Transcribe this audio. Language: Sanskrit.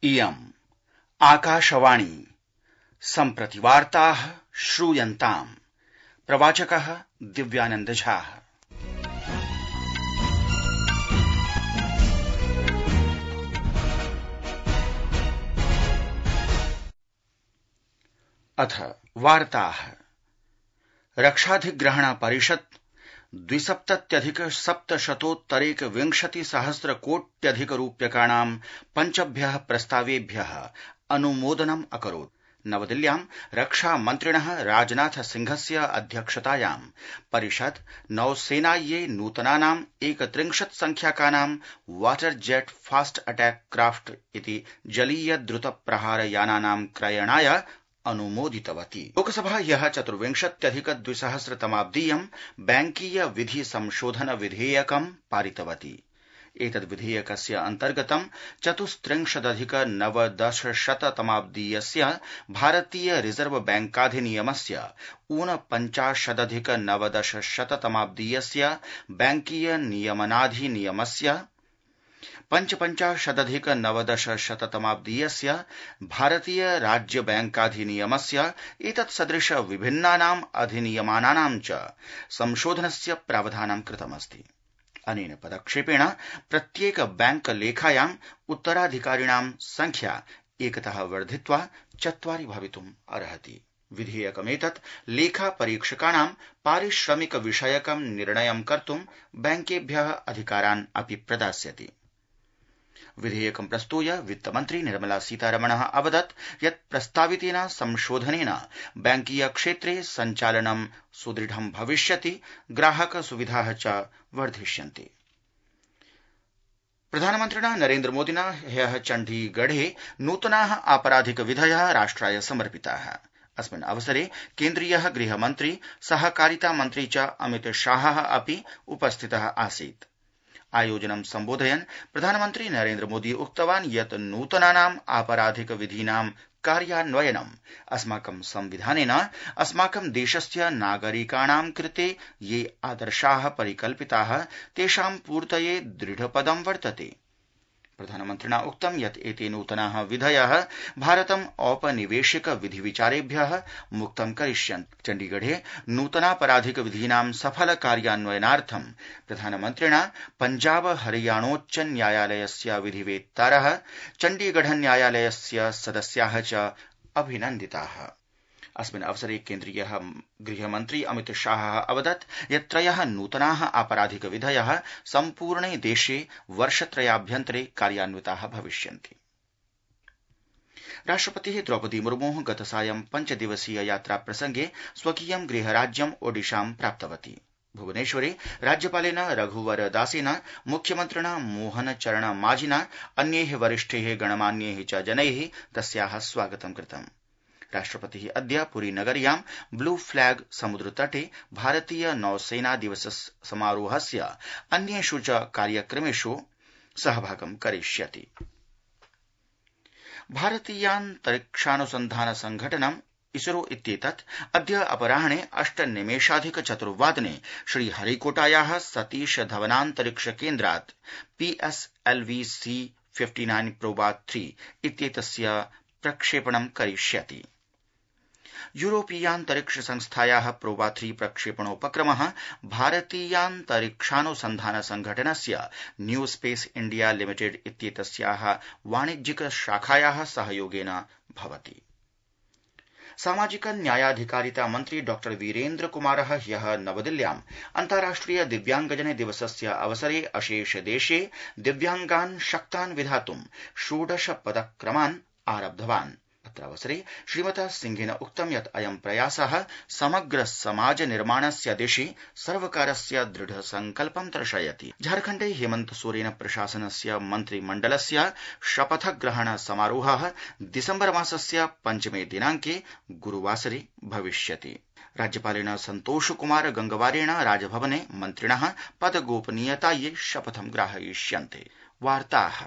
इयम् आकाशवाणी सम्प्रति वार्ताः श्रूयन्ताम्। प्रवाचकः दिव्यानंद झा। अथ वार्ताः। रक्षाधिग्रहण परिषत् 2,770,120,000,000,000 पञ्चभ्यः प्रस्तावेभ्यः अनुमोदनम् अकरोत्। नवदिल्ल्यां रक्षामन्त्रिणः राजनाथ सिंहस्य अध्यक्षतायां परिषद् नौसेनायै नूतनानाम् 31 संख्याकानां water jet fast attack craft इति जलीय द्रुत प्रहार यानानां क्रयणाय अनुमोदितवती। लोकसभा ह्यः 24,200,तमाब्दीयं बैंकीय विधि संशोधन विधेयकं पारितवती। एतद् विधेयकस्य अन्तर्गतं 34,990,तमाब्दीयस्य भारतीय रिजर्व बैंकाधिनियमस्य 49,990 तमाब्दीयस्य बैंकीय नियमनाधिनियमस्य 55,990 तमाब्दीयस्य भारतीय राज्य बैंकाधिनियमस्य एतत्सदृश विभिन्नानाम् अधिनियमानां च संशोधनस्य प्रावधानं कृतमस्ति। अनेन पदक्षेपेण प्रत्येक बैंक लेखायाम् उत्तराधिकारिणां संख्या एकतः वर्धित्वा 4 भवितुम् अर्हति। विधेयकमेतत् लेखा परीक्षकाणां पारिश्रमिक विषयकं निर्णयं कर्तुं बैंकेभ्यः अधिकारान् अपि प्रदास्यति। विधेयकं प्रस्तूय वित्तमन्त्री निर्मला सीतारमणः अवदत् यत् प्रस्तावितेन संशोधनेन बैंकीय क्षेत्रे सञ्चालनं सुदृढं भविष्यति, ग्राहक सुविधाः च वर्धिष्यन्ति। प्रधानमन्त्रिणा नरेन्द्रमोदिना ह्यः चण्डीगढे नूतनाः आपराधिक विधयः राष्ट्राय समर्पिताः। अस्मिन् अवसरे केन्द्रीयः गृहमन्त्री सहकारिता मन्त्री च अमित शाहः अपि उपस्थितः आसीत्। आयोजनं सम्बोधयन् प्रधानमन्त्री नरेन्द्रमोदी उक्तवान् यत् नूतनानाम् आपराधिक विधीनां कार्यान्वयनम् अस्माकं संविधानेन अस्माकं देशस्य नागरिकाणां कृते ये आदर्शाः परिकल्पिताः तेषां पूर्तये दृढपदं वर्तते। प्रधानमन्त्रिणा उक्तं यत् एते नूतनाः विधयः भारतम् औपनिवेशिक विधिविचारेभ्यः मुक्तं करिष्यन्ति। चण्डीगढे नूतनापराधिक विधीनां सफल कार्यान्वयनार्थं प्रधानमन्त्रिणा पञ्जाब हरियाणोच्च न्यायालयस्य विधिवेत्तारः, चण्डीगढ न्यायालयस्य सदस्याः च अभिनन्दिताः। अस्मिन् अवसरे केन्द्रीयः गृहमन्त्री अमित शाहः अवदत् यत् 3 नूतनाः आपराधिक विधयः सम्पूर्णे देशे वर्षत्रयाभ्यन्तरे कार्यान्विताः भविष्यन्ति। राष्ट्रपतिः द्रौपदी मुर्मुः गतसायं 5 दिवसीय यात्रा प्रसंगे स्वकीयं गृहराज्यम् ओडिशां प्राप्तवती। भुवनेश्वरे राज्यपालेन रघुवर दासेन, मुख्यमन्त्रिणा मोहन चरण माझिना, अन्यैः वरिष्ठैः गणमान्यैः च जनैः तस्याः स्वागतं कृतम्। राष्ट्रपतिः अद्य पुरी नगर्यां ब्लू फ्लैग समुद्रतटे भारतीय नौसेना दिवस समारोहस्य अन्येषु च कार्यक्रमेषु सहभागं करिष्यति। भारतीयान्तरिक्षानुसन्धान संघटनम् इसरो इत्येतत् अद्य अपराह्ने 8:04 श्रीहरिकोटायाः सतीश धवनान्तरिक्ष केन्द्रात् PSLV-C59 प्रोबा 3 इत्येतस्य प्रक्षेपणं करिष्यति। यूरोपीयान्तरिक्ष संस्थायाः प्रोबा 3 प्रक्षेपणोपक्रमः भारतीयान्तरिक्षानुसन्धान संघटनस्य न्यू स्पेस इण्डिया लिमिटेड इत्येतस्याः वाणिज्यिक शाखायाः सहयोगेन भवति। सामाजिक न्यायाधिकारिता मन्त्री डॉ वीरेन्द्र कुमारः ह्यः नवदिल्ल्याम् अन्ताराष्ट्रिय दिव्याङ्गजन दिवसस्य अवसरे अशेष देशे दिव्याङ्गान् शक्तान् विधातुं 16 पदक्रमान् आरब्धवान्। अत्रावसरे श्रीमता सिंहेन उक्तं यत् अयं प्रयासः समग्र समाज निर्माणस्य दिशि सर्वकारस्य दृढ संकल्पं दर्शयति। झारखण्डे हेमन्त सोरेन प्रशासनस्य मन्त्रिमण्डलस्य शपथग्रहण समारोहः दिसम्बर मासस्य 5 दिनाङ्के गुरुवासरे भविष्यति। राज्यपालेन सन्तोष कुमार गंगवारेण राजभवने मन्त्रिणः पदगोपनीयतायै शपथं ग्राहयिष्यन्ते। वार्ताः